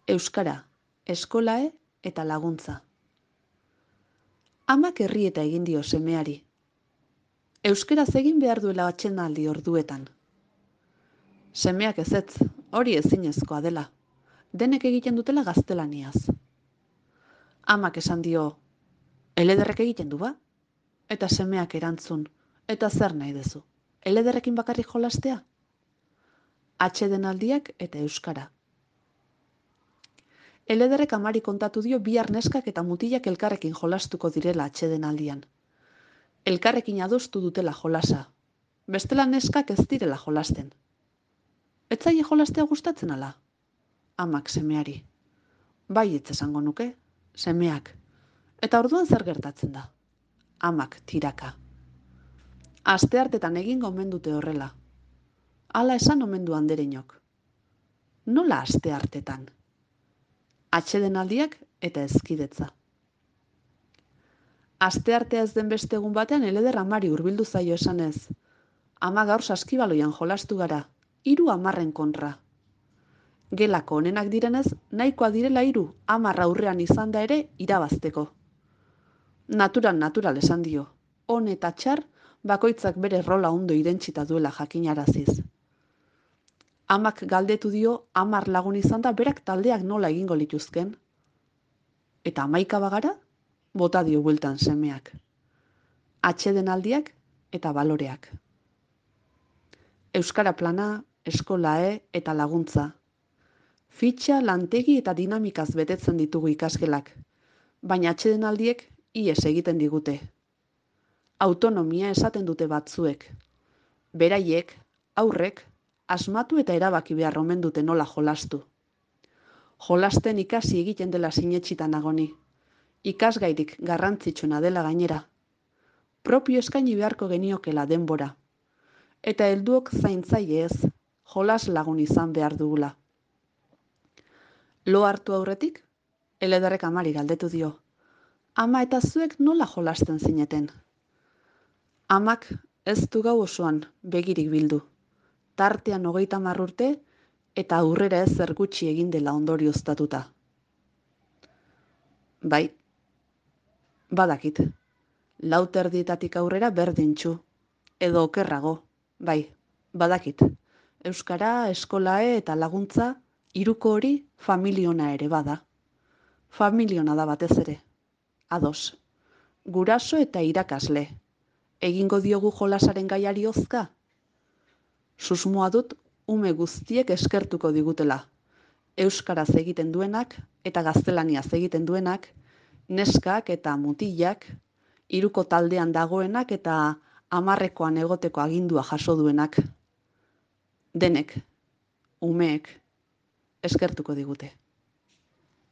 euskara, eskolae eta laguntza. Amak herrieta egin dio semeari. Euskaraz egin behar duela atsedenaldi orduetan. Semeak ezetz, hori ezinezkoa dela. Denek egiten dutela gaztelaniaz. Amak esan dio, elederrek egiten du ba? Eta semeak erantzun, eta zer nahi dezu? Elederrekin bakarrik jolastea? Atsedenaldiak eta euskara. Elederrek amari kontatu dio bihar neskak eta mutilak elkarrekin jolastuko direla atsedenaldian. Elkarrekin adostu dutela jolasa. Bestela neskak ez direla jolasten. Ez zaie jolastea gustatzen ala? Amak semeari. Baietz esango nuke, semeak. Eta orduan zer gertatzen da? Amak tiraka. Asteartetan egingo omen dute horrela. Hala esan omen du andereinok. Nola asteartetan? Atsedenaldiak eta hezkidetza. Asteartea ez den beste egun batean eleder amari hurbildu zaio esanez. Ama gaur saskibaloian jolastu gara, 3 kontra. Gelako onenak direnez, nahikoa direla 10 aurrean izan da ere irabazteko. Natural esan dio. On eta txar, bakoitzak bere rola ondo irentsita duela jakinaraziz. Amak galdetu dio 10 lagun izan da berak taldeak nola egingo lituzken. Eta 11 bagara, bota dio bueltan semeak. Atsedenaldiak eta baloreak. Euskara plana, eskolae eta laguntza. Fitxa, lantegi eta dinamikaz betetzen ditugu ikasgelak, baina atsedenaldiek ihes egiten digute. Autonomia esaten dute batzuek. Beraiek, aurrek, asmatu eta erabaki behar omen dute nola jolastu. Jolasten ikasi egiten dela sinetxita nagoni. Ikasgairik garrantzitsuna dela gainera. Propio eskaini beharko geniokela denbora. Eta helduok zaintzaile ez, jolas lagun izan behar dugula. Lo hartu aurretik, elederrek amari galdetu dio. Ama eta zuek nola jolasten zineten? Amak ez du gau osoan begirik bildu. Tartean 30 urte eta aurrera ez zer gutxi egin dela ondorioztatuta. Bai, badakit. 4:00 aurrera berdintxu. Edo okerrago, bai, badakit. Euskara, eskolae eta laguntza, 3 hori familiona ere bada. Familiona da batez ere. Ados. Guraso eta irakasle. Egingo diogu jolasaren gaiari hozka? Susmoa dut ume guztiek eskertuko digutela. Euskaraz egiten duenak eta gaztelaniaz egiten duenak, neskak eta mutilak, 3 taldean dagoenak eta 10 egoteko agindua jaso duenak. Denek, umeek, eskertuko digute.